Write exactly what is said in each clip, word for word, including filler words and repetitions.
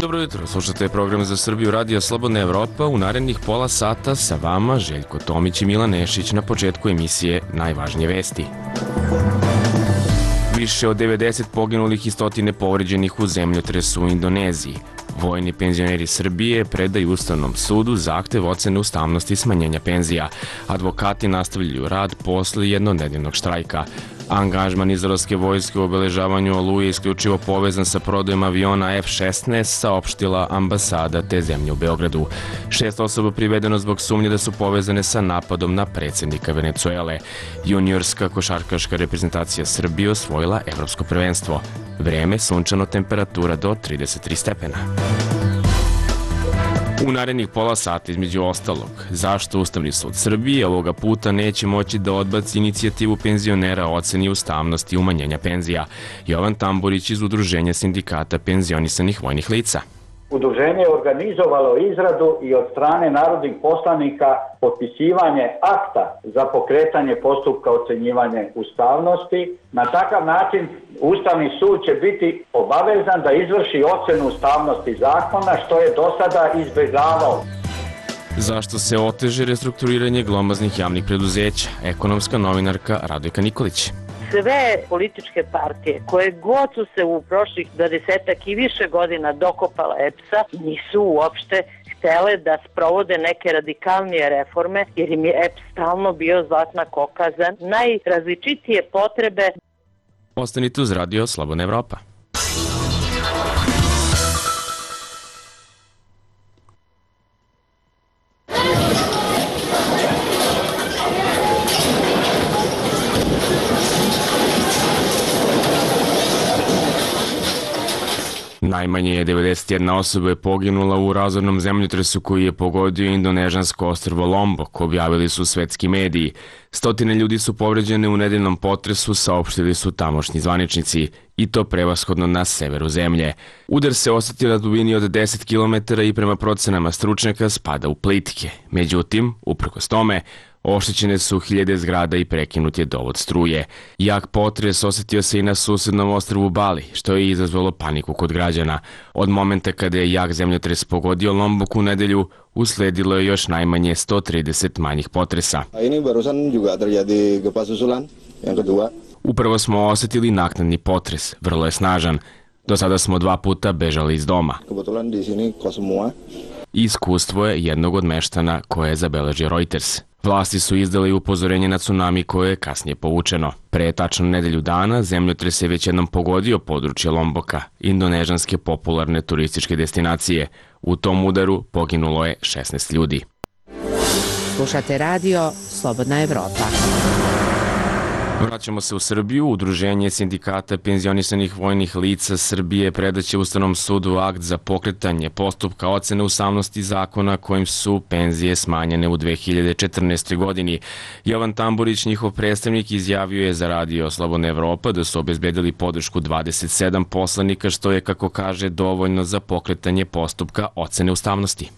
Dobro jutro, slušate program za Srbiju Radio Slobodna Evropa. U narednih pola sata sa vama Željko Tomić i Milan Nešić na početku emisije Najvažnije vesti. Više od devedeset poginulih i stotine povređenih u zemljotresu u Indoneziji. Vojni penzioneri Srbije predaju Ustavnom sudu zahtev ocene ustavnosti smanjenja penzija. Advokati nastavljaju rad posle jednonedeljnog štrajka. Angažman izraelske vojske u obeležavanju Oluje je isključivo povezan sa prodajom aviona F šesnaest, saopštila ambasada te zemlje u Beogradu. Šest osoba privedeno zbog sumnje da su povezane sa napadom na predsjednika Venecuele. Juniorska košarkaška reprezentacija Srbije osvojila evropsko prvenstvo. Vreme sunčano, temperatura do trideset tri stepena. U narednih pola sata, između ostalog, zašto Ustavni sud Srbije ovoga puta neće moći da odbaci inicijativu penzionera o oceni ustavnosti umanjenja penzija. Jovan Tamburić iz Udruženja sindikata penzionisanih vojnih lica. Udruženje je organizovalo izradu i od strane narodnih poslanika potpisivanje akta za pokretanje postupka ocenjivanja ustavnosti. Na takav način Ustavni sud će biti obavezan da izvrši ocenu ustavnosti zakona, što je do sada izbjegavao. Zašto se oteže restrukturiranje glomaznih javnih preduzeća? Ekonomska novinarka Radojka Nikolić. Sve političke partije koje god su se u prošlih dvadesetak i više godina dokopala E P S-a nisu uopšte htele da sprovode neke radikalnije reforme, jer im je E P S stalno bio zlatna koka za najrazličitije potrebe. Ostanite uz Radio Slobodna Evropa. Najmanje je devedeset jedna osoba je poginula u razornom zemljotresu koji je pogodio indonežansko ostrvo Lombok, objavili su svetski mediji. Stotine ljudi su povređene u nedeljnom potresu, saopštili su tamošnji zvaničnici, i to prevashodno na severu zemlje. Udar se osetio na dubini od deset kilometara i prema procenama stručnjaka spada u plitke. Međutim, uprkos tome, oštećene su hiljade zgrada i prekinut je dovod struje. Jak potres osetio se i na susednom ostrvu Bali, što je izazvalo paniku kod građana. Od momenta kada je jak zemljotres pogodio Lombok u nedelju, usledilo je još najmanje sto trideset manjih potresa. Ini barusan juga terjadi gempa susulan yang kedua. Upravo smo osetili naknadni potres, vrlo je snažan. Do sada smo dva puta bežali iz doma. Kebetulan di sini kos semua. Iskustvo je jednog od meštana koje je zabeležio Reuters. Vlasti su izdali upozorenje na tsunami koje je kasnije povučeno. Pre tačno nedelju dana zemljotres je već jednom pogodio područje Lomboka, indonežanske popularne turističke destinacije. U tom udaru poginulo je šesnaest ljudi. Slušate radio Slobodna Evropa. Vraćamo se u Srbiju. Udruženje sindikata penzionisanih vojnih lica Srbije predaće Ustavnom sudu akt za pokretanje postupka ocene ustavnosti zakona kojim su penzije smanjene u dve hiljade četrnaestoj. godini. Jovan Tamburić, njihov predstavnik, izjavio je za radio Slobodna Evropa da su obezbedili podršku dvadeset sedam poslanika, što je, kako kaže, dovoljno za pokretanje postupka ocene ustavnosti.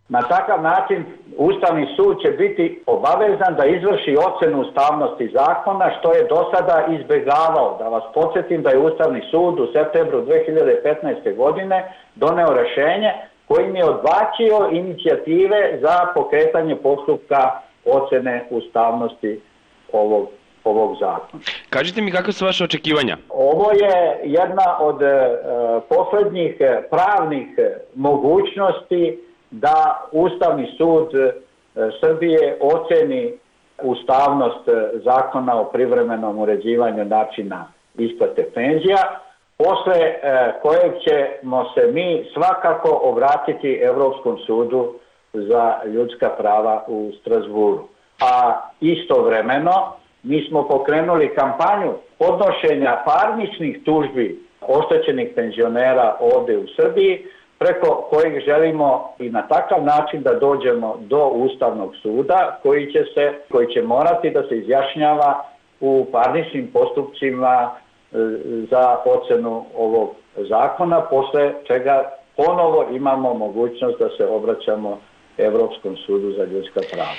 Na takav način Ustavni sud će biti obavezan da izvrši ocenu ustavnosti zakona, što je do sada izbjegavao. Da vas podsjetim da je Ustavni sud u septembru dve hiljade petnaeste. godine doneo rešenje kojim je odbacio inicijative za pokretanje postupka ocene ustavnosti ovog, ovog zakona. Kažite mi, kakve su vaše očekivanja? Ovo je jedna od e, poslednjih pravnih mogućnosti da Ustavni sud Srbije oceni ustavnost zakona o privremenom uređivanju načina isplate penzija, posle kojeg ćemo se mi svakako obratiti Evropskom sudu za ljudska prava u Strazburu. A istovremeno mi smo pokrenuli kampanju podnošenja parničnih tužbi oštećenih penzionera ovde u Srbiji, preko kojeg želimo i na takav način da dođemo do Ustavnog suda koji će, se, koji će morati da se izjašnjava u parničnim postupcima za ocenu ovog zakona, posle čega ponovo imamo mogućnost da se obraćamo Evropskom sudu za ljudska prava.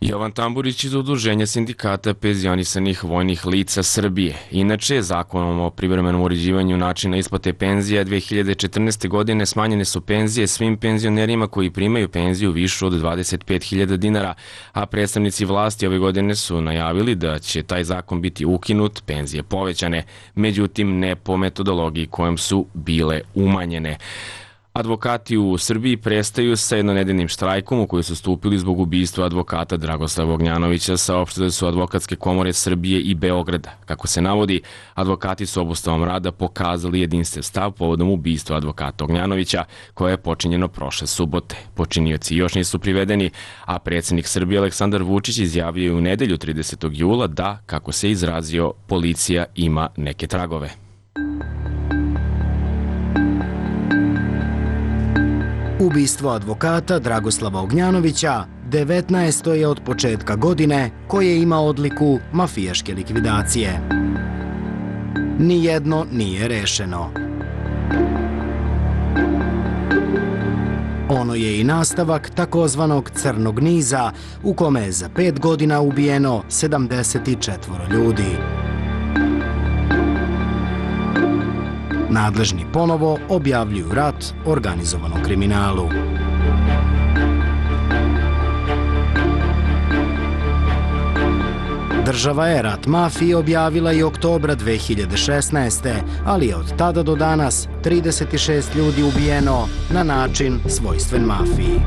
Jovan Tamburić iz Udruženja sindikata penzionisanih vojnih lica Srbije. Inače, zakonom o privremenom uređivanju načina isplate penzija dve hiljade četrnaeste. godine smanjene su penzije svim penzionerima koji primaju penziju višu od dvadeset pet hiljada dinara, a predstavnici vlasti ove godine su najavili da će taj zakon biti ukinut, penzije povećane, međutim ne po metodologiji kojom su bile umanjene. Advokati u Srbiji prestaju sa jednonedeljnim štrajkom u koji su stupili zbog ubistva advokata Dragoslava Ognjanovića, saopštile su advokatske komore Srbije i Beograda. Kako se navodi, advokati su obustavom rada pokazali jedinstven stav povodom ubistva advokata Ognjanovića, koje je počinjeno prošle subote. Počinioci još nisu privedeni, a predsjednik Srbije Aleksandar Vučić izjavio je u nedelju tridesetog jula da, kako se izrazio, policija ima neke tragove. Ubistvo advokata Dragoslava Ognjanovića devetnaesto je od početka godine koje ima odliku mafijaške likvidacije. Nijedno nije rešeno. Ono je i nastavak takozvanog crnog niza u kome je za pet godina ubijeno sedamdeset četvoro ljudi. Nadležni ponovo objavljuju rat organizovanom kriminalu. Država je rat mafiji objavila i oktobra dve hiljade šesnaeste. ali je od tada do danas trideset šest ljudi ubijeno na način svojstven mafiji.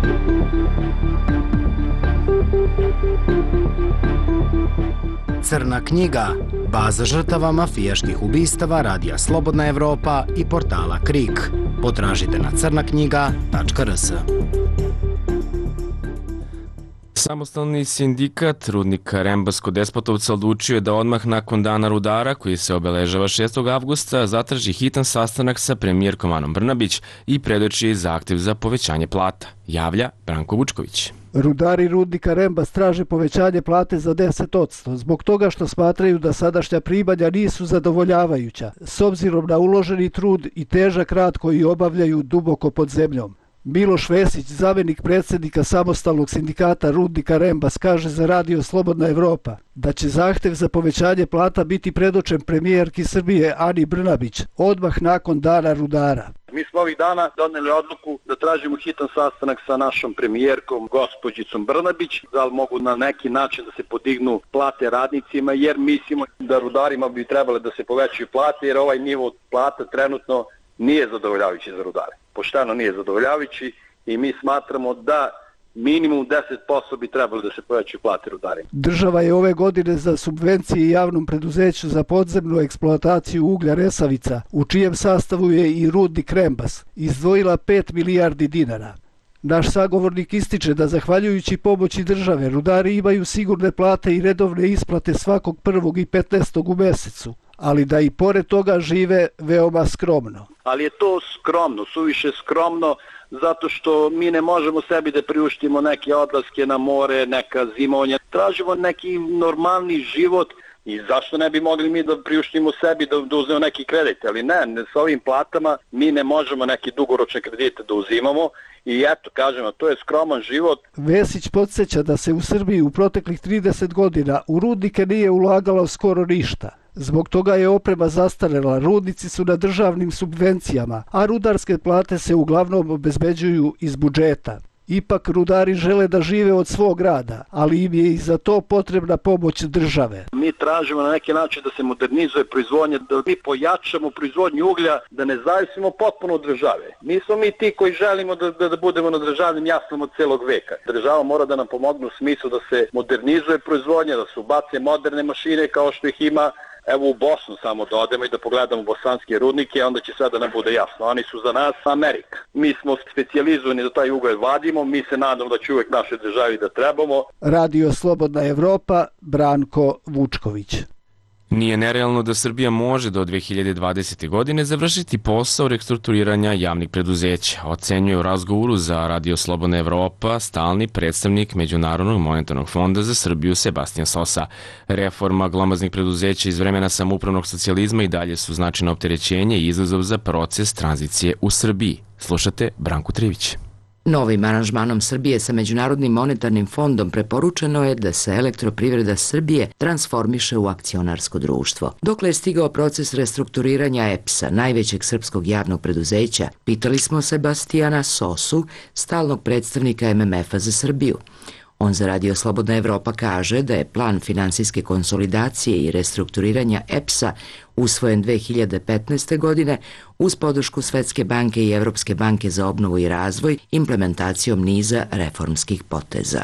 Crna knjiga, baza žrtava mafijaških ubistava radija Slobodna Evropa i portala Krik. Potražite na crna knjiga tačka r s. Samostalni sindikat rudnika Rembasko-Despotovca odlučio je da odmah nakon dana rudara, koji se obeležava šestog avgusta, zatraži hitan sastanak sa premijerkom Anom Brnabić i predoči zahtev za povećanje plata, javlja Branko Vučković. Rudari rudnika Rembas traže povećanje plate za deset posto zbog toga što smatraju da sadašnja primanja nisu zadovoljavajuća, s obzirom na uloženi trud i težak rad koji obavljaju duboko pod zemljom. Miloš Vesić, zamenik predsjednika samostalnog sindikata rudnika Rembas, kaže za radio Slobodna Evropa da će zahtev za povećanje plata biti predočen premijerki Srbije Ani Brnabić odmah nakon dana rudara. Mi smo ovih dana doneli odluku da tražimo hitan sastanak sa našom premijerkom, gospođicom Brnabić, da li mogu na neki način da se podignu plate radnicima, jer mislimo da rudarima bi trebale da se povećaju plate, jer ovaj nivo plata trenutno nije zadovoljavajući za rudare. Pošteno nije zadovoljavajući i mi smatramo da minimum deset posto bi trebalo da se povećaju plate rudarima. Država je ove godine za subvencije javnom preduzeću za podzemnu eksploataciju uglja Resavica, u čijem sastavu je i rudnik Rembas, izdvojila pet milijardi dinara. Naš sagovornik ističe da zahvaljujući pomoći države rudari imaju sigurne plate i redovne isplate svakog prvog i petnaestog u mesecu, ali da i pored toga žive veoma skromno. Ali je to skromno, suviše skromno, zato što mi ne možemo sebi da priuštimo neke odlaske na more, neka zimovanja. Tražimo neki normalni život i zašto ne bi mogli mi da priuštimo sebi da, da uzmemo neki kredit, ali ne, ne, s ovim platama mi ne možemo neke dugoročne kredite da uzimamo i eto, kažemo, to je skroman život. Vesić podsjeća da se u Srbiji u proteklih trideset godina u rudnike nije ulagalo skoro ništa. Zbog toga je oprema zastarela, rudnici su na državnim subvencijama, a rudarske plate se uglavnom obezbeđuju iz budžeta. Ipak rudari žele da žive od svog rada, ali im je i za to potrebna pomoć države. Mi tražimo na neki način da se modernizuje proizvodnja, da mi pojačamo proizvodnju uglja, da ne zavisimo potpuno od države. Nismo mi ti koji želimo da, da, da budemo na državnim jaslama od celog veka. Država mora da nam pomogne u smislu da se modernizuje proizvodnja, da se ubace moderne mašine kao što ih ima. Evo u Bosnu samo da odemo i da pogledamo bosanske rudnike, onda će sve da nam bude jasno. Oni su za nas Amerika. Mi smo specijalizovani da taj ugalj vadimo, mi se nadamo da će uvek našoj državi da trebamo. Radio Slobodna Evropa, Branko Vučković. Nije nerealno da Srbija može do dve hiljade dvadesete. godine završiti posao restrukturiranja javnih preduzeća, ocenjuje u razgovoru za Radio Slobodna Evropa stalni predstavnik Međunarodnog monetarnog fonda za Srbiju Sebastian Sosa. Reforma glomaznih preduzeća iz vremena samoupravnog socijalizma i dalje su značajno opterećenje i izazov za proces tranzicije u Srbiji. Slušate Branku Trivić. Novim aranžmanom Srbije sa Međunarodnim monetarnim fondom preporučeno je da se Elektroprivreda Srbije transformiše u akcionarsko društvo. Dokle je stigao proces restrukturiranja E P S-a, najvećeg srpskog javnog preduzeća, pitali smo Sebastijana Sosu, stalnog predstavnika M M F-a za Srbiju. On za Radio Slobodna Evropa kaže da je plan finansijske konsolidacije i restrukturiranja E P S-a usvojen dve hiljade petnaeste. godine uz podršku Svetske banke i Evropske banke za obnovu i razvoj implementacijom niza reformskih poteza.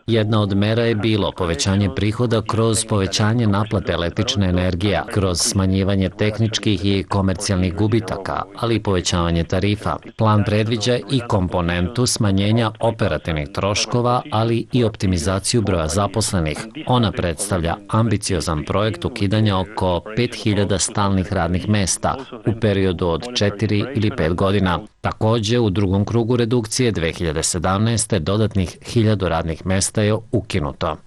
Jedna od mera je bilo povećanje prihoda kroz povećanje naplate električne energije, kroz smanjivanje tehničkih i komercijalnih gubitaka, ali i povećavanje tarifa. Plan predviđa i komponentu smanjenja operativnih troškova, ali i optimizaciju broja zaposlenih. Ona predstavlja ambiciozan projekt ukidanja oko pet hiljada stalnih radnih mesta u periodu od četiri ili pet godina. Takođe, u drugom krugu redukcije dve hiljade sedamnaeste. dodatnih hiljadu radnih mesta je ukinuto.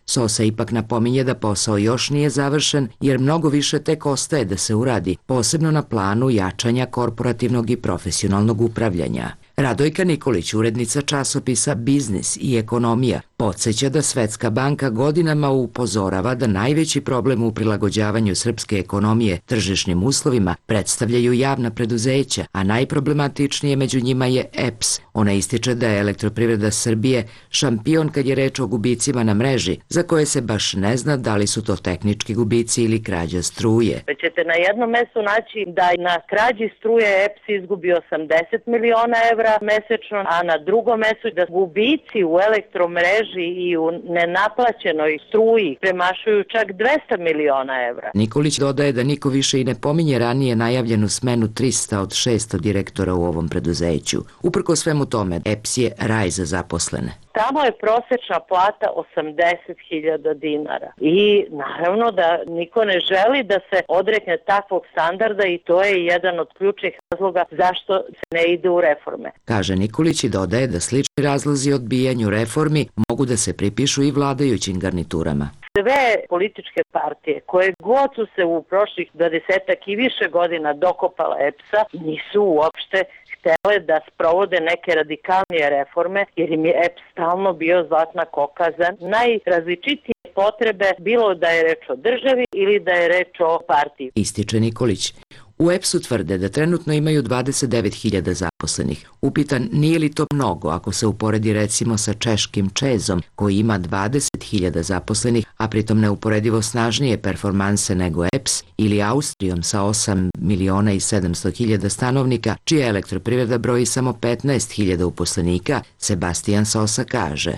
Sosa ipak napominje da posao još nije završen jer mnogo više tek ostaje da se uradi, posebno na planu jačanja korporativnog i profesionalnog upravljanja. Radojka Nikolić, urednica časopisa Biznis i ekonomija, podsjeća da Svetska banka godinama upozorava da najveći problem u prilagođavanju srpske ekonomije tržišnim uslovima predstavljaju javna preduzeća, a najproblematičnije među njima je E P S. Ona ističe da je Elektroprivreda Srbije šampion kad je reč o gubicima na mreži, za koje se baš ne zna da li su to tehnički gubici ili krađa struje. Već ćete na jednom mestu naći da na krađi struje E P S izgubi osamdeset miliona evra mesečno, a na drugom mestu da gubici u elektromreži i u nenaplaćenoj struji premašuju čak dvesta miliona evra. Nikolić dodaje da niko više i ne pominje ranije najavljenu smenu trista od šesto direktora u ovom preduzeću. Uprko svemu tome, E P S je raj za zaposlene. Tamo je prosečna plata osamdeset hiljada dinara i naravno da niko ne želi da se odrekne takvog standarda i to je jedan od ključnih razloga zašto se ne ide u reforme. Kaže Nikolić i dodaje da slični razlozi odbijanju reformi mogu da se pripišu i vladajućim garniturama. Sve političke partije koje god su se u prošlih dvadesetak i više godina dokopala E P S-a nisu uopšte htele da sprovode neke radikalnije reforme jer im je E P S stalno bio zlatna koka za najrazličitije potrebe, bilo da je reč o državi ili da je reč o partiji. Ističe Nikolić. U E P S-u tvrde da trenutno imaju dvadeset devet hiljada zaposlenih. Upitan nije li to mnogo ako se uporedi recimo sa češkim Čezom koji ima dvadeset hiljada zaposlenih, a pritom neuporedivo snažnije performanse nego E P S, ili Austrijom sa osam miliona i sedamsto hiljada stanovnika, čija elektroprivreda broji samo petnaest hiljada uposlenika, Sebastijan Sosa kaže.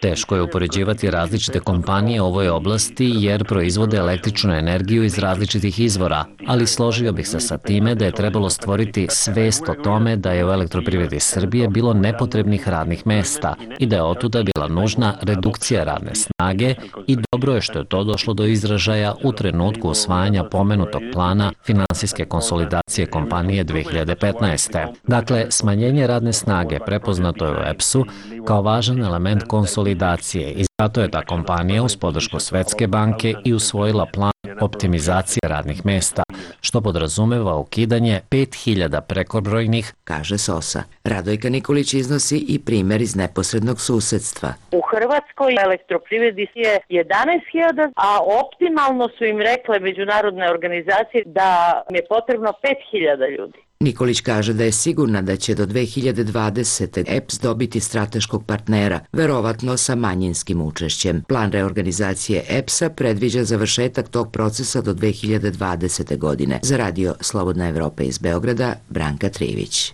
Teško je upoređivati različite kompanije u ovoj oblasti jer proizvode električnu energiju iz različitih izvora, ali složio bih se sa time da je trebalo stvoriti svest o tome da je u Elektroprivredi Srbije bilo nepotrebnih radnih mesta i da je otuda bila nužna redukcija radne snage i dobro je što je to došlo do izražaja u trenutku usvajanja pomenutog plana finansijske konsolidacije kompanije dve hiljade petnaeste. Dakle, smanjenje radne snage prepoznato je u E P S-u kao važan element konsolidacije i zato je ta kompanija uz podršku Svetske banke i usvojila plan optimizacije radnih mesta, što podrazumeva ukidanje pet hiljada prekobrojnih, kaže Sosa. Radojka Nikolić iznosi i primer iz neposrednog susedstva. U Hrvatskoj elektroprivredi je jedanaest hiljada, a optimalno su im rekle međunarodne organizacije da je potrebno pet hiljada ljudi. Nikolić kaže da je sigurna da će do dve hiljade dvadesete. E P S dobiti strateškog partnera, verovatno sa manjinskim učešćem. Plan reorganizacije E P S-a predviđa završetak tog procesa do dve hiljade dvadesete. godine. Za Radio Slobodna Evropa iz Beograda, Branka Trivić.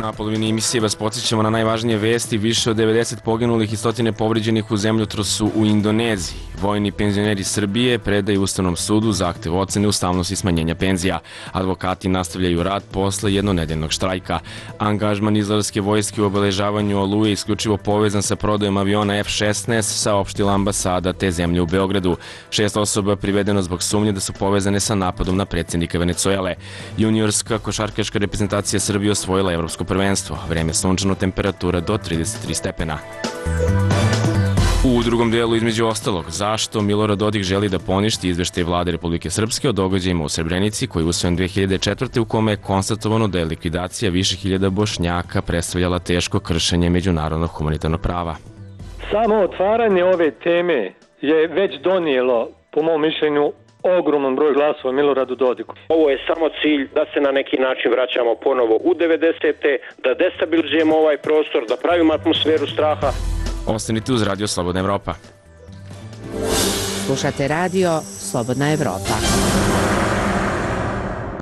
Na polovini emisije vas podsjećamo na najvažnije vesti. Više od devedeset poginulih i stotine povređenih u zemljotresu u Indoneziji. Vojni penzioneri Srbije predaju Ustavnom sudu zahtev ocene ustavnosti smanjenja penzija. Advokati nastavljaju rad posle jednonedeljnog štrajka. Angažman izraelske vojske u obeležavanju Oluje isključivo povezan sa prodajom aviona F šesnaest, saopštila ambasada te zemlje u Beogradu. Šest osoba privedeno zbog sumnje da su povezane sa napadom na predsjednika Venecuele. Juniorska košarkaška reprezentacija Srbije osvojila evropsko prvenstvo. Vreme sunčano, temperatura do trideset tri stepena. U drugom delu između ostalog, zašto Milorad Dodik želi da poništi izveštaj vlade Republike Srpske o događajima u Srebrenici koji je usvojen dve hiljade četvrte. u kome je konstatovano da je likvidacija više hiljada Bošnjaka predstavljala teško kršenje međunarodnog humanitarnog prava. Samo otvaranje ove teme je već donijelo, po mom mišljenju, ogroman broj glasova Miloradu Dodiku. Ovo je samo cilj da se na neki način vraćamo ponovo u devedesete. da destabilizujemo ovaj prostor, da pravimo atmosferu straha. Ostanite uz Radio Slobodna Evropa. Slušate Radio Slobodna Evropa.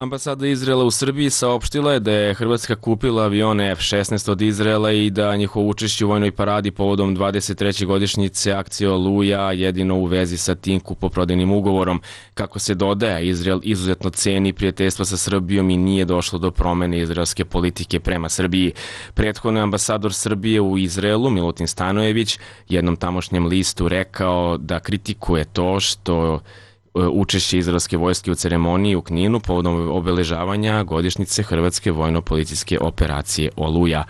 Ambasada Izraela u Srbiji saopštila je da je Hrvatska kupila avione F šesnaest od Izraela i da njihovo učešće u vojnoj paradi povodom dvadeset treće godišnjice akcije Oluja jedino u vezi sa tim kupoprodajnim ugovorom. Kako se dodaje, Izrael izuzetno ceni prijateljstva sa Srbijom i nije došlo do promene izraelske politike prema Srbiji. Prethodno je ambasador Srbije u Izraelu, Milutin Stanojević, jednom tamošnjem listu rekao da kritikuje to što učešće izraelske vojske u ceremoniji u Kninu povodom obeležavanja godišnjice Hrvatske vojno-policijske operacije Oluja.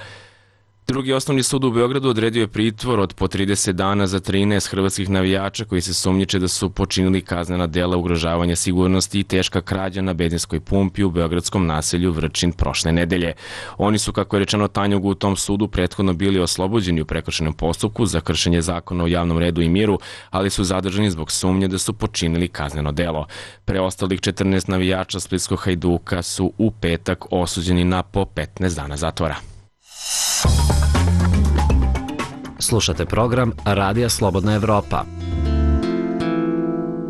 Drugi osnovni sud u Beogradu odredio je pritvor od po trideset dana za trinaest hrvatskih navijača koji se sumnjiče da su počinili kaznena dela ugrožavanja sigurnosti i teška krađa na benzinskoj pumpi u beogradskom naselju Vrčin prošle nedelje. Oni su, kako je rečeno Tanjugu, u tom sudu prethodno bili oslobođeni u prekršajnom postupku za kršenje zakona o javnom redu i miru, ali su zadržani zbog sumnje da su počinili kazneno delo. Preostalih četrnaest navijača splitskog Hajduka su u petak osuđeni na po petnaest dana zatvora. Slušate program Radija Slobodna Evropa.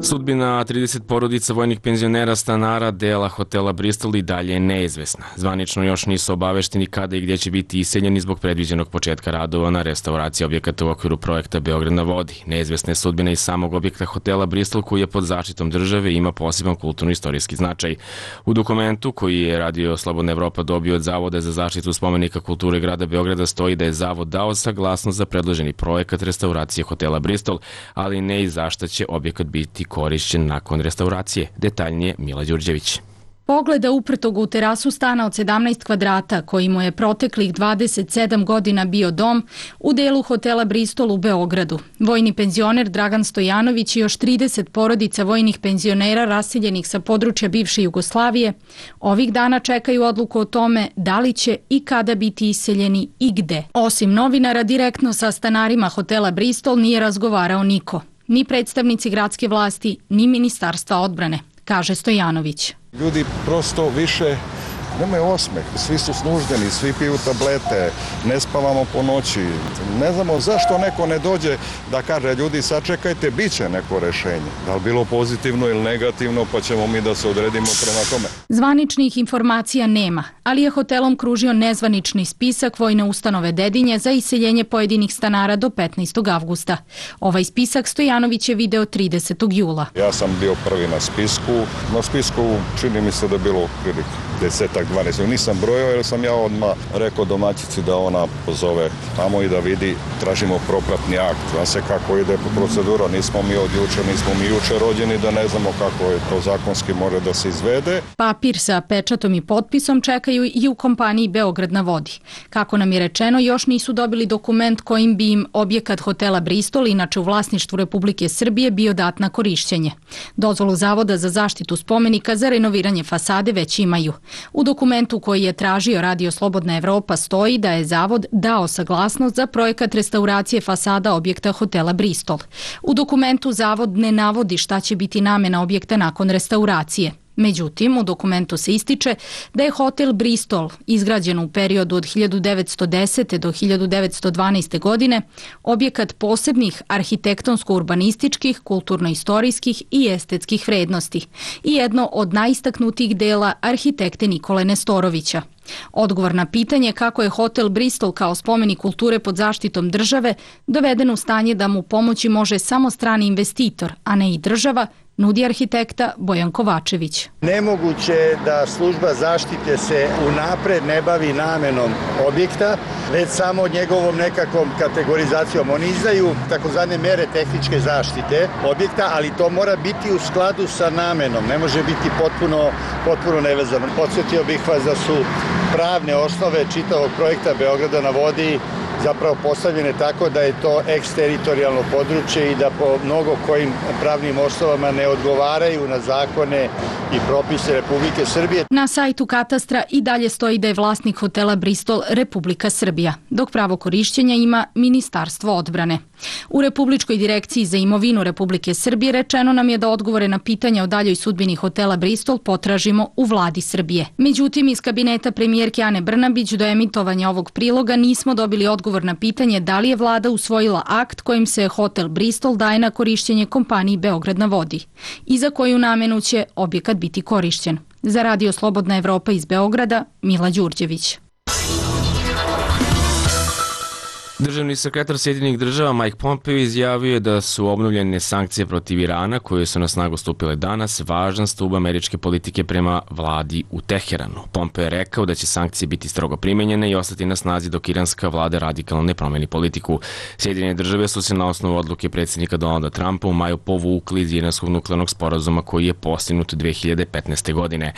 Sudbina trideset porodica vojnih penzionera stanara dela hotela Bristol i dalje je neizvesna. Zvanično još nisu obavešteni kada i gdje će biti iseljeni zbog predviđenog početka radova na restauraciji objekata u okviru projekta Beograd na vodi. Neizvesna je sudbina i samog objekta hotela Bristol koji je pod zaštitom države i ima poseban kulturno-istorijski značaj. U dokumentu koji je Radio Slobodna Evropa dobio od Zavoda za zaštitu spomenika kulture grada Beograda stoji da je Zavod dao saglasnost za predloženi projekat restauracije hotela Bristol, ali ne i zašta će objekat biti korišćen nakon restauracije. Detaljnije Mila Đurđević. Pogleda uprtog u terasu stana od sedamnaest kvadrata, koji mu je proteklih dvadeset sedam godina bio dom, u delu hotela Bristol u Beogradu. Vojni penzioner Dragan Stojanović i još trideset porodica vojnih penzionera raseljenih sa područja bivše Jugoslavije ovih dana čekaju odluku o tome da li će i kada biti iseljeni i gde. Osim novinara, direktno sa stanarima hotela Bristol nije razgovarao niko. Ni predstavnici gradske vlasti, ni Ministarstva odbrane, kaže Stojanović. Ljudi prosto više nemaju osmeh, svi su snuždeni, svi piju tablete, ne spavamo po noći. Ne znamo zašto neko ne dođe da kaže ljudi sačekajte, bit će neko rešenje. Da li bilo pozitivno ili negativno, pa ćemo mi da se odredimo prema tome. Zvaničnih informacija nema, ali je hotelom kružio nezvanični spisak Vojne ustanove Dedinje za iseljenje pojedinih stanara do petnaestog avgusta. Ovaj spisak Stojanović je video tridesetog jula. Ja sam bio prvi na spisku. Na spisku čini mi se da je bilo prilike desetak, dvanaest. Nisam brojao jer sam ja odmah rekao domaćici da ona pozove tamo i da vidi, tražimo propratni akt. Zna se kako ide procedura, nismo mi od juče, nismo mi juče rođeni da ne znamo kako je to zakonski može da se izvede. Papir sa pečatom i potpisom čekaju i u kompaniji Beograd na vodi. Kako nam je rečeno, još nisu dobili dokument kojim bi im objekat hotela Bristol, inače u vlasništvu Republike Srbije, bio dat na korišćenje. Dozvolu Zavoda za zaštitu spomenika za renoviranje fasade već imaju. U dokumentu koji je tražio Radio Slobodna Evropa stoji da je Zavod dao saglasnost za projekat restauracije fasada objekta hotela Bristol. U dokumentu Zavod ne navodi šta će biti namena objekta nakon restauracije. Međutim, u dokumentu se ističe da je hotel Bristol, izgrađen u periodu od hiljadu devetsto desete do hiljadu devetsto dvanaeste. godine, objekat posebnih arhitektonsko-urbanističkih, kulturno-istorijskih i estetskih vrednosti i jedno od najistaknutijih dela arhitekte Nikole Nestorovića. Odgovor na pitanje kako je hotel Bristol kao spomenik kulture pod zaštitom države doveden u stanje da mu pomoći može samo strani investitor, a ne i država, nudi arhitekta Bojan Kovačević. Nemoguće je da služba zaštite se unapred ne bavi namenom objekta, već samo njegovom nekakvom kategorizacijom. Oni izdaju takozvane mere tehničke zaštite objekta, ali to mora biti u skladu sa namenom, ne može biti potpuno, potpuno nevezano. Podsjetio bih vas da su pravne osnove čitavog projekta Beograda na vodi zapravo postavljene tako da je to eksteritorijalno područje i da po mnogo kojim pravnim osnovama ne odgovaraju na zakone i propise Republike Srbije. Na sajtu katastra i dalje stoji da je vlasnik hotela Bristol Republika Srbija, dok pravo korišćenja ima Ministarstvo odbrane. U Republičkoj direkciji za imovinu Republike Srbije rečeno nam je da odgovore na pitanja o daljoj sudbini hotela Bristol potražimo u vladi Srbije. Međutim, iz kabineta premijerke Ane Brnabić do emitovanja ovog priloga nismo dobili odgovor na pitanje da li je vlada usvojila akt kojim se hotel Bristol daje na korišćenje kompaniji Beograd na vodi i za koju namenu će objekat biti korišćen. Za Radio Slobodna Evropa iz Beograda, Mila Đurđević. Državni sekretar Sjedinjenih država Mike Pompeo izjavio je da su obnovljene sankcije protiv Irana, koje su na snagu stupile danas, važan stub američke politike prema vladi u Teheranu. Pompeo je rekao da će sankcije biti strogo primenjene i ostati na snazi dok iranska vlada radikalno ne promeni politiku. Sjedinjene države su se na osnovu odluke predsjednika Donalda Trumpa u maju povukli iz iranskog nuklearnog sporazuma koji je postignut dve hiljade petnaeste. godine.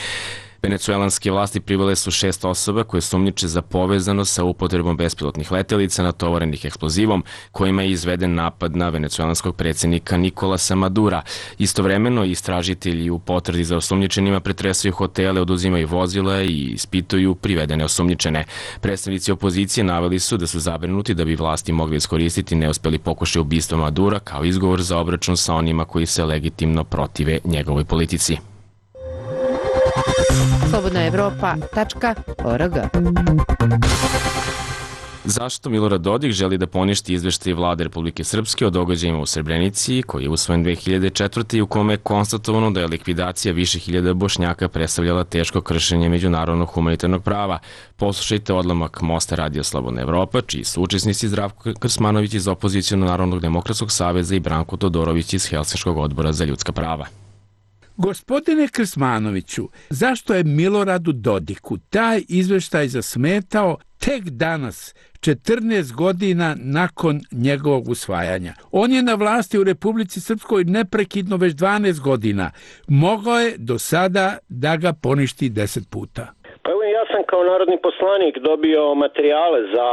Venecuelanske vlasti privele su šest osoba koje sumnjiče za povezanost sa upotrebom bespilotnih letelica natovarenih eksplozivom kojima je izveden napad na venecuelanskog predsjednika Nikolasa Madura. Istovremeno, istražitelji u potrazi za osumnjičenima pretresaju hotele, oduzimaju vozila i ispituju privedene osumnjičene. Predstavnici opozicije naveli su da su zabrinuti da bi vlasti mogli iskoristiti neuspeli pokušaj ubistva Madura kao izgovor za obračun sa onima koji se legitimno protive njegovoj politici. slobodna evropa tačka org. Zašto Milorad Dodik želi da poništi izveštaj vlade Republike Srpske o događajima u Srebrenici, koji je usvojen dve hiljade četvrte. i u kome je konstatovano da je likvidacija više hiljada Bošnjaka predstavljala teško kršenje međunarodnog humanitarnog prava? Poslušajte odlomak Mosta Radio Slobodna Evropa, čiji su učesnici Zdravko Krsmanović iz Opozicionog Narodnog demokratskog saveza i Branko Todorović iz Helsinškog odbora za ljudska prava. Gospodine Krsmanoviću, zašto je Miloradu Dodiku taj izveštaj zasmetao tek danas, četrnaest godina nakon njegovog usvajanja? On je na vlasti u Republici Srpskoj neprekidno već dvanaest godina. Mogao je do sada da ga poništi deset puta. Pa evo, ja sam kao narodni poslanik dobio materijale za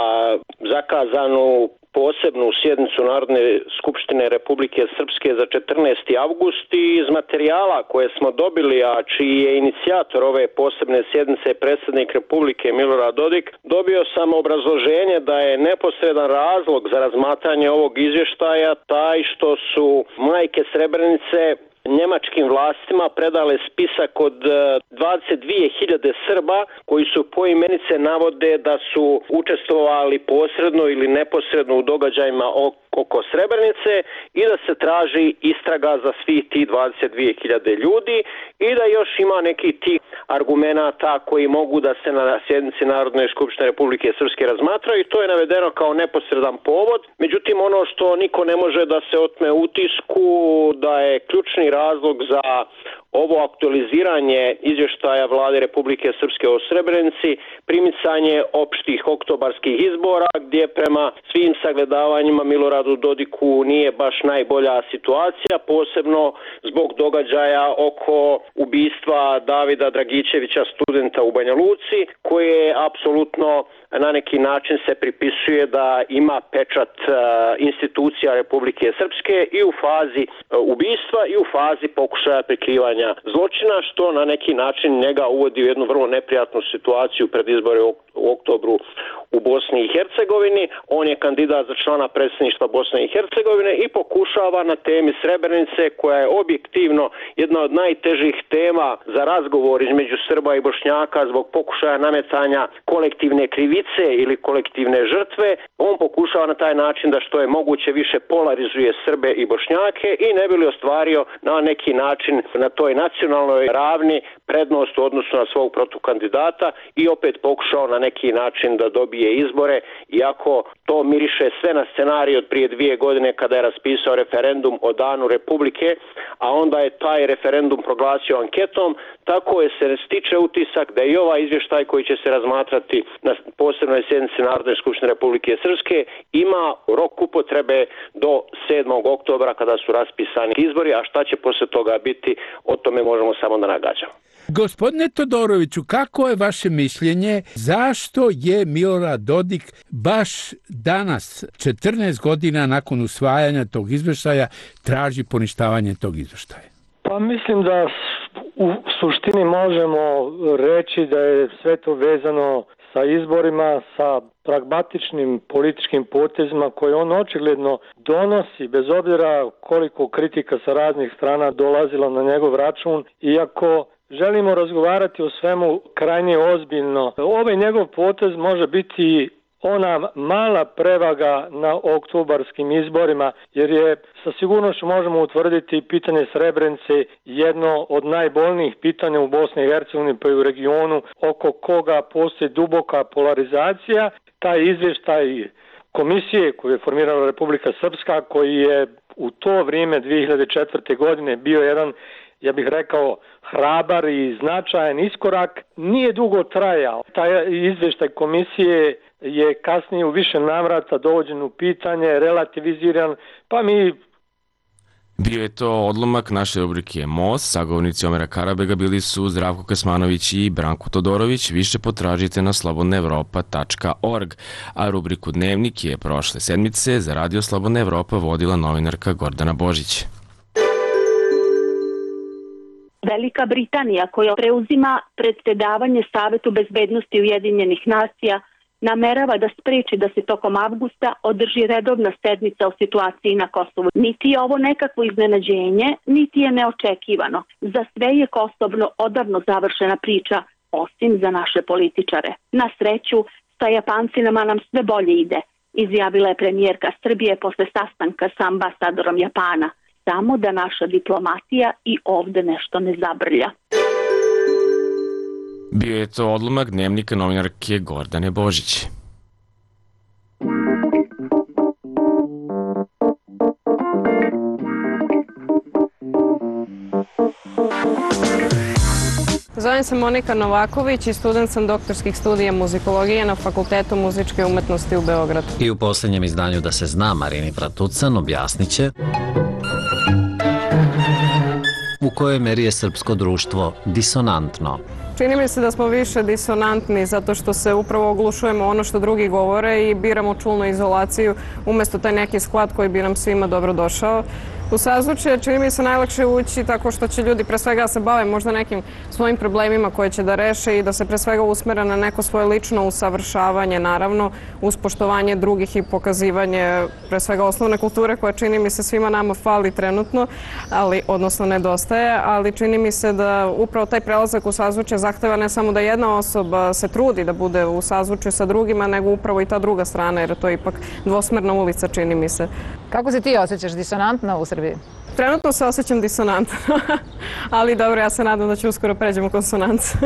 zakazanu posebnu sjednicu Narodne skupštine Republike Srpske za četrnaesti avgust i iz materijala koje smo dobili, a čiji je inicijator ove posebne sjednice predsjednik Republike Milorad Dodik, dobio sam obrazloženje da je neposredan razlog za razmatranje ovog izvještaja taj što su majke Srebrenice njemačkim vlastima predale spisak od dvadeset dvije hiljade Srba koji su poimenice navode da su učestvovali posredno ili neposredno u događajima oko Srebrenice i da se traži istraga za svih tih dvadeset dvije hiljade ljudi i da još ima neki tih argumenata koji mogu da se na sjednici Narodne skupštine Republike Srpske razmatraju i to je navedeno kao neposredan povod. Međutim, ono što niko ne može da se otme utisku da je ključni razlog za ovo aktualiziranje izvještaja vlade Republike Srpske o Srebrenici primicanje opštih oktobarskih izbora gdje prema svim sagledavanjima Miloradu Dodiku nije baš najbolja situacija, posebno zbog događaja oko ubistva Davida Dragičevića, studenta u Banja Luci, koje apsolutno na neki način se pripisuje da ima pečat institucija Republike Srpske i u fazi ubistva i u fazi pokušaja prikrivanja zločina, što na neki način njega uvodi u jednu vrlo neprijatnu situaciju pred izbore u oktobru u Bosni i Hercegovini. On je kandidat za člana predsjedništva Bosne i Hercegovine i pokušava na temi Srebrenice, koja je objektivno jedna od najtežih tema za razgovor između Srba i Bošnjaka zbog pokušaja nametanja kolektivne krivice ili kolektivne žrtve, on pokušava na taj način da što je moguće više polarizuje Srbe i Bošnjake i ne bi li ostvario na neki način na toj nacionalnoj ravni prednost u odnosu na svog protukandidata i opet pokušao na neki način da dobije izbore, iako to miriše sve na scenarij od prije dvije godine kada je raspisao referendum o danu Republike, a onda je taj referendum proglasio anketom, tako je se stiče utisak da i ovaj izvještaj koji će se razmatrati na posebnoj sjednici Narodne skupštine Republike Srpske ima rok upotrebe do sedmog oktobra kada su raspisani izbori, a šta će posle toga biti, o tome možemo samo da nagađamo. Gospodine Todoroviću, kako je vaše mišljenje, zašto zašto je Milorad Dodik baš danas, četrnaest godina nakon usvajanja tog izveštaja, traži poništavanje tog izveštaja? Pa mislim da u suštini možemo reći da je sve to vezano sa izborima, sa pragmatičnim političkim potezima koje on očigledno donosi, bez obzira koliko kritika sa raznih strana dolazila na njegov račun, iako želimo razgovarati o svemu krajnje ozbiljno. Ovaj njegov potez može biti ona mala prevaga na oktobarskim izborima, jer je sa sigurnošću možemo utvrditi pitanje Srebrenice jedno od najbolnijih pitanja u Bosni i Hercegovini pa i u regionu, oko koga postoji duboka polarizacija. Taj izvještaj komisije koju je formirala Republika Srpska, koji je u to vrijeme dvije hiljade četvrte. godine bio jedan, ja bih rekao, hrabar i značajan iskorak, nije dugo trajao. Taj izvještaj komisije je kasnije u više navrata dovođen u pitanje, relativiziran, pa mi... Bio je to odlomak naše rubrike Most. Sagovornici Omera Karabega bili su Zdravko Kasmanović i Branko Todorović. Više potražite na slobodna evropa tačka org. A rubriku Dnevnik je prošle sedmice za Radio Slobodna Evropa vodila novinarka Gordana Božić. Velika Britanija, koja preuzima predsjedavanje Savetu bezbednosti Ujedinjenih nacija, namerava da spreči da se tokom avgusta održi redovna sednica o situaciji na Kosovu. Niti je ovo nekakvo iznenađenje, niti je neočekivano. Za sve je kosovno odavno završena priča, osim za naše političare. Na sreću, sa Japancima nam sve bolje ide, izjavila je premijerka Srbije posle sastanka sa ambasadorom Japana. Samo da naša diplomatija i ovde nešto ne zabrlja. Bio je to odlomak Dnevnika novinarke Gordane Božić. Zovem se Monika Novaković i student sam doktorskih studija muzikologije na Fakultetu muzičke umetnosti u Beogradu. I u posljednjem izdanju Da se zna Marini Fratucan objasnit će u kojoj meri je srpsko društvo disonantno. Čini mi se da smo više disonantni zato što se upravo oglušujemo ono što drugi govore i biramo čulnu izolaciju umjesto taj neki sklad koji bi nam svima dobro došao. U sazvučje čini mi se najlakše ući tako što će ljudi pre svega se bave možda nekim svojim problemima koje će da reše i da se pre svega usmere na neko svoje lično usavršavanje, naravno, uz poštovanje drugih i pokazivanje pre svega osnovne kulture koja čini mi se svima nama fali trenutno, ali odnosno nedostaje, ali čini mi se da upravo taj prelazak u sazvučje zahteva ne samo da jedna osoba se trudi da bude u sazvučju sa drugima, nego upravo i ta druga strana, jer to je ipak dvosmerna ulica, čini mi se. Kako se ti osjećaš, disonantno u Srbiji? Trenutno se osjećam disonantno, ali dobro, ja se nadam da ću uskoro pređemo u konsonance.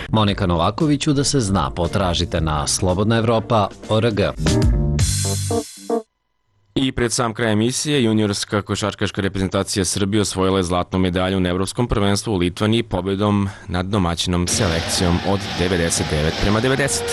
Monika Novakoviću Da se zna potražite na slobodna evropa tačka org. I pred sam kraj emisije, juniorska košarkaška reprezentacija Srbije osvojila je zlatnu medalju na Evropskom prvenstvu u Litvaniji pobedom nad domaćinom selekcijom od devedeset devet prema devedeset.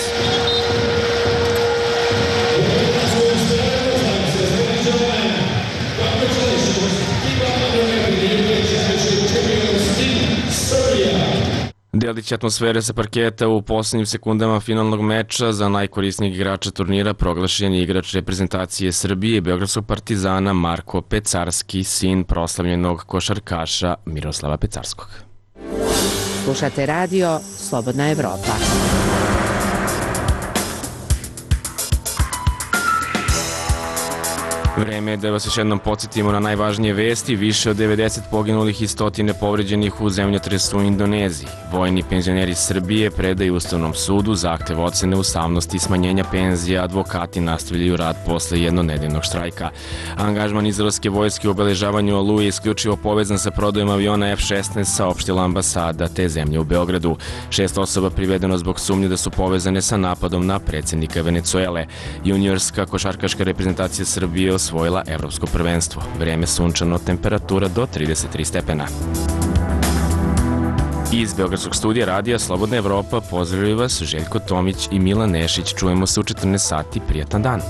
Delić atmosfere sa parketa u posljednjim sekundama finalnog meča za najkorisnijeg igrača turnira proglašen je igrač reprezentacije Srbije i Beogradskog Partizana Marko Pecarski, sin proslavljenog košarkaša Miroslava Pecarskog. Slušate radio Slobodna Evropa. Vreme je da vas još jednom podsjetimo na najvažnije vesti. Više od devedeset poginulih i stotine povređenih u zemljotresu u Indoneziji. Vojni penzioneri Srbije predaju Ustavnom sudu zahtev ocene ustavnosti i smanjenja penzija. Advokati nastavljaju rad posle jednonedeljnog štrajka. Angažman izraelske vojske u obeležavanju Oluje je isključivo povezan sa prodajom aviona F šesnaest, saopštila ambasada te zemlje u Beogradu. Šest osoba privedeno zbog sumnje da su povezane sa napadom na predsjednika Venecuele. Juniorska košarkaška reprezentacija Srbije osvojila evropsko prvenstvo. Vreme sunčano, temperatura do trideset tri stepena. Iz Beogradskog studija radija Slobodna Evropa pozdravljaju vas Željko Tomić i Milan Nešić. Čujemo se u četrnaest sati. Prijatan dan.